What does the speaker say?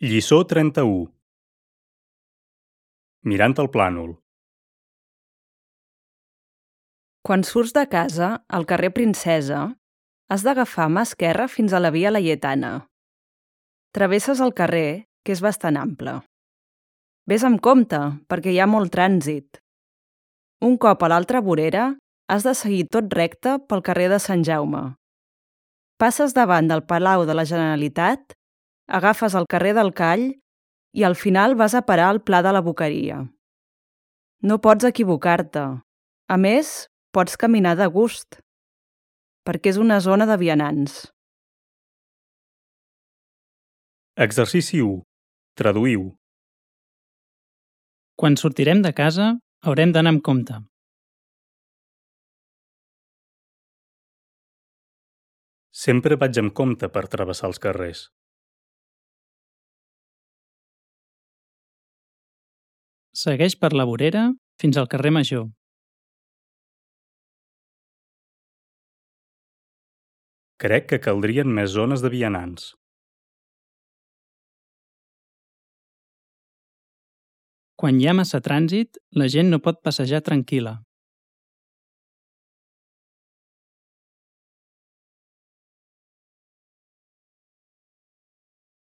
Lliçó 31. Mirant el plànol. Quan surts de casa, al carrer Princesa, has d'agafar mà esquerra fins a la via Laietana. Travesses el carrer, que és bastant ample. Ves amb compte, perquè hi ha molt trànsit. Un cop a l'altra vorera, has de seguir tot recte pel carrer de Sant Jaume. Passes davant del Palau de la Generalitat, agafes el carrer del Call i al final vas a parar al Pla de la Boqueria. No pots equivocar-te. A més, pots caminar de gust, perquè és una zona de vianants. Exercici 1. Traduïu. Quan sortirem de casa, haurem d'anar amb compte. Sempre vaig amb compte per travessar els carrers. Segueix per la vorera fins al carrer Major. Crec que caldrien més zones de vianants. Quan hi ha massa trànsit, la gent no pot passejar tranquil·la.